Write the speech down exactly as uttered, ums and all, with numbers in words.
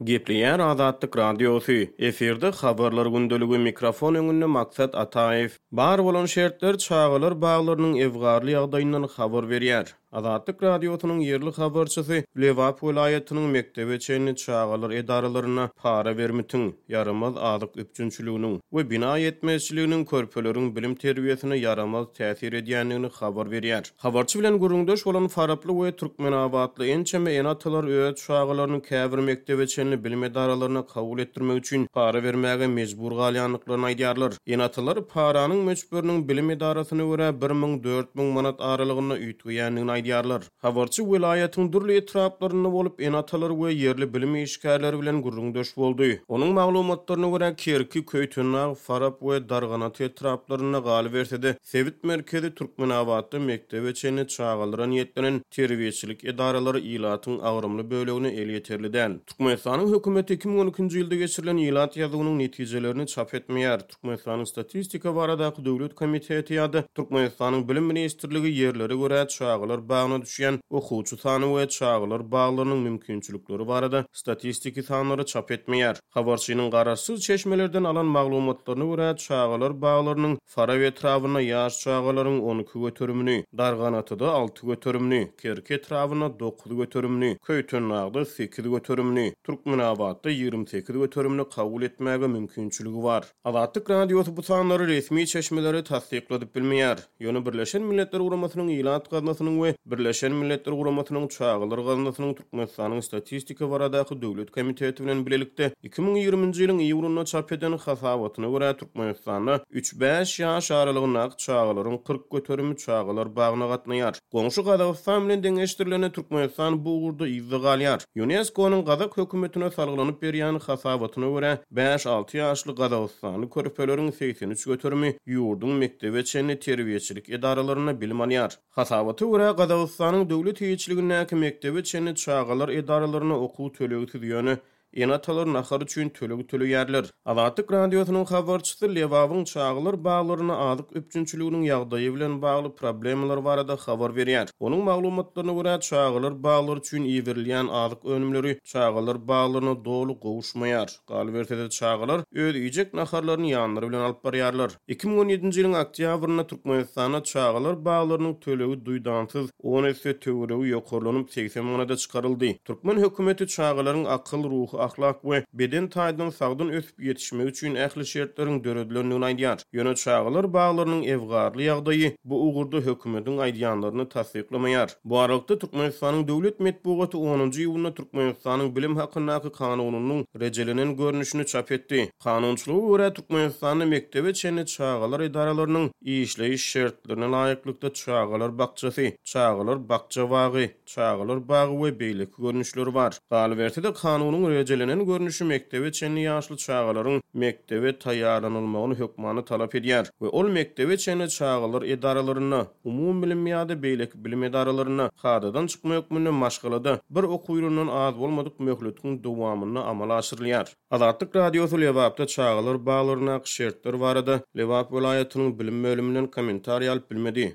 Gepleýär Azatlyk Radiosy, efirde Habarlar gündeligi, mikrofon öňünde Maksat Ataýew. Bar bolan şertler çagalar baglarynyň ebgarly ýagdaýyndan habar berýär. Azatlyk Radiosynyň ýerli habarçysy Lebap welaýatynyň mekdebe çenli çagalar edaralarynda para bermitiň, ýaramaz azyk üpjünçiliginiň we bina ýetmezçiliginiň körpeleriň bilim-terbiýesine ýaramaz täsir edýändigini habar berýär. Habarçy bilen gürrüňdeş bolan faraply we türkmenabatly ençeme ene-atalar öz çagalaryny käbir mekdebe çenli bilim edaralaryna kabul etdirmek üçin para bermäge mejbur galýandyklaryny aýdýarlar. Ene-atalar paranyň möçberiniň bilim edarasyna görä bir müň, dört müň manat aralygynda üýtgeýändigini aýdýarlar. Habarçy welaýatyň dürli etraplarynda bolup, ene-atalar we ýerli bilim işgärleri bilen gürrüňdeş boldy. Onuň maglumatlaryna görä, Kerki, Köýtendag, Farap we Darganata etraplarynda, galyberse-de, sebit merkezi Türkmenabatda mekdebe çenli çagalara niýetlenen terbiýeçilik edaralary ilatyň agramly bölegine elýeterli däl. Türkmenistanyň hökümeti iki müň on ikinji ýylda geçirilen ilat ýazuwynyň netijelerini çap etmeýär. Türkmenistanyň Statistika baradaky döwlet komiteti ýa-da Türkmenistanyň Bilim ministrligi ýerlere görä çagalar bagyna düşýän okuwçy sany we çagalar baglarynyň mümkinçilikleri barada statistiki sanlary çap etmeýär. Habarçynyň garaşsyz çeşmelerden alan maglumatlaryna görä, çagalar baglarynyň Farap etrabynda ýaş çagalaryň on iki göterimini, Darganatada alty göterimini, Kerki etrabynda dokuz göterimini, Köýtendagda sekiz göterimini, Türkmenabatda ýigrimi sekiz göterimini kabul etmäge mümkinçiligi bar. Azatlyk Radiosy bu sanlary resmi çeşmeleri tassykladyp bilmeýär. Ýöne Birleşen Milletler Guramasynyň Ilat Gaznasynyň we Birleşen Milletler Guramasynyň Çagalar Gaznasynyň Türkmenistanyň Statistika baradaky döwlet komiteti bilen bilelikde iki müň ýigriminji ýylyň iýulynda çap eden hasabatyna görä, Türkmenistanda üç-bäş ýaş aralygyndaky çagalaryň kyrk göterimi çagalar bagyna gatnaýar. Goňşy Gazagystan bilen deňeşdirilende Türkmenistan bu ugurda yzda galýar. Ýunesko-nyň gazak hökümetine salgylanyp berýän hasabatyna görä, bäş-alty ýaşly gazagystanly körpeleriň segsen üç göterimi ýurduň mekdebe çenli terbiýeçilik edaralarynda bilim alýar. Hasabata görä, Gazagystanyň döwlet eýeçiligindäki mekdebe çenli çagalar edaralaryna okuw tölegsiz, ýöne ene-atalar nahar üçin töleg töleýärler. Azatlyk Radiosynyň habarçysy Lebabyň çagalar baglaryna azyk üpjünçiliginiň ýagdaýy bilen bagly problemalar barada habar berýär. Onuň maglumatlaryna görä, çagalar baglary üçin iberilýän azyk önümleri çagalar baglaryna doly gowuşmaýar. Galyberse-de, çagalar öz iýjek naharlaryny ýanlary bilen alyp barýarlar. Iki müň on ýedinji ýylyň oktýabrynda Türkmenistanda çagalar baglarynyň tölegi duýdansyz on esse töweregi ýokarlanyp segsen manada çykaryldy. Türkmen hökümeti çagalaryň akyl, ruhy, ahlak we beden taýdan sagdyn ösüp ýetişmegi üçin ähli şertleriň döredilendigini aýdýar. Ýöne çagalar baglarynyň ebgarly ýagdaýy bu ugurda hökümetiň aýdýanlaryny tassyklamaýar. Bu aralykda Türkmenistanyň döwlet metbugaty onunjy iýunda Türkmenistanyň bilim hakyndaky kanunynyň rejelenen görnüşini çap etdi. Kanunçylyga görä Türkmenistanda mekdebe çenli çagalar edaralarynyň işleýiş şertlerine laýyklykda çagalar bakjasy, çagalar bakja bagy, çagalar bagy we beýleki görnüşleri bar. Galyberse-de kanunyň rejelenen görnüşi mekdebe çenli ýaşly çagalaryň mekdebe taýýarlanylmagyny hökmany talap edýär we ol mekdebe çenli çagalar edaralarynda, umumybilim ýa-da beýleki bilim edaralarynda kadadan çykma hökmünde maşgalada bir okuw ýylyndan az bolmadyk möhletiň dowamynda amala aşyrylýar. Azatlyk Radiosy Lebapda çagalar baglaryndaky şertler barada Lebap welaýatynyň bilim bölüminden kommentariý alyp bilmedi.